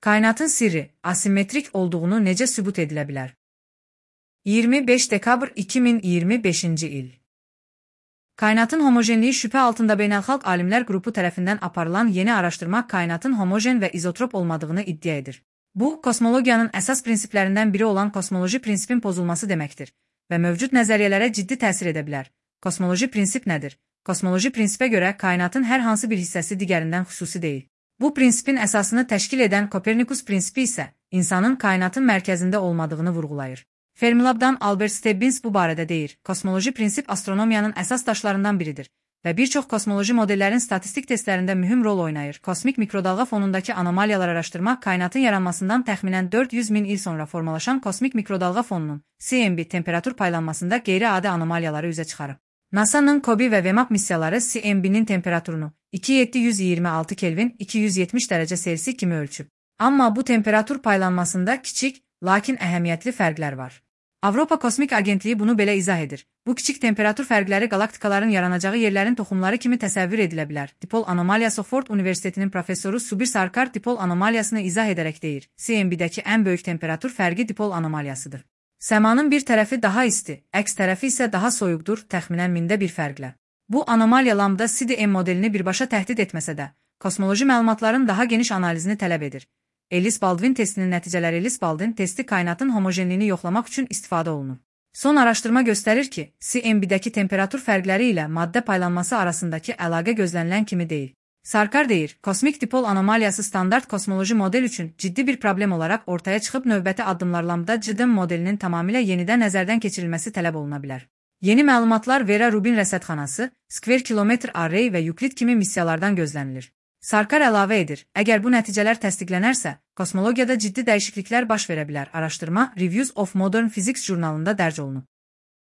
Kainatın sirri, asimetrik olduğunu necə sübut edilə bilər? 25 dekabr 2025-ci il. Kainatın homojenliyi şübhə altında beynəlxalq alimlər qrupu tərəfindən aparılan yeni araşdırma kainatın homojen və izotrop olmadığını iddia edir. Bu, kosmologiyanın əsas prinsiplərindən biri olan kosmoloji prinsipin pozulması deməkdir və mövcud nəzəriyyələrə ciddi təsir edə bilər. Kosmoloji prinsip nədir? Kosmoloji prinsipə görə kainatın hər hansı bir hissəsi digərindən xüsusi deyil. Bu prinsipin əsasını təşkil edən Kopernikus prinsipi isə insanın kainatın mərkəzində olmadığını vurğulayır. Fermilab'dan Albert Stebbins bu barədə deyir. Kosmoloji prinsip astronomiyanın əsas daşlarından biridir və bir çox kosmoloji modellərin statistik testlərində mühüm rol oynayır. Kosmik mikrodalğa fonundakı anomaliyalar araşdırmaq kainatın yaranmasından təxminən 400 min il sonra formalaşan kosmik mikrodalğa fonunun CMB temperatur paylanmasında qeyri-adi anomaliyaları üzə çıxarıb. NASA-nın COBE və VMAP missiyaları CMB-nin temperaturunu 2726 Kelvin 270 dərəcə Selsi kimi ölçüb. Amma bu temperatur paylanmasında kiçik, lakin əhəmiyyətli fərqlər var. Avropa Kosmik Agentliyi bunu belə izah edir. Bu kiçik temperatur fərqləri qalaktikaların yaranacağı yerlərin toxumları kimi təsəvvür edilə bilər. Dipol anomaliyası Ford Universitetinin professoru Subir Sarkar dipol anomaliyasını izah edərək deyir. CMB-dəki ən böyük temperatur fərqi dipol anomaliyasıdır. Səmanın bir tərəfi daha isti, əks tərəfi isə daha soyuqdur, təxminən mində bir fərqlə. Bu anomaliya lambda CDM modelini birbaşa təhdid etməsə də, kosmoloji məlumatların daha geniş analizini tələb edir. Ellis-Baldwin testinin nəticələri Ellis-Baldwin testi kainatın homojenliyini yoxlamaq üçün istifadə olunub. Son araşdırma göstərir ki, CMB-dəki temperatur fərqləri ilə maddə paylanması arasındakı əlaqə gözlənilən kimi deyil. Sarkar deyir, kosmik dipol anomaliyası standart kosmoloji model üçün ciddi bir problem olaraq ortaya çıxıb növbəti addımlar lambda CDM modelinin tamamilə yenidən nəzərdən keçirilməsi tələb oluna bilər. Yeni məlumatlar Vera Rubin rəsədxanası, Square Kilometre Array və Euclid kimi missiyalardan gözlənilir. Sarkar əlavə edir, əgər bu nəticələr təsdiqlənərsə, kosmologiyada ciddi dəyişikliklər baş verə bilər. Araşdırma Reviews of Modern Physics jurnalında dərc olunub.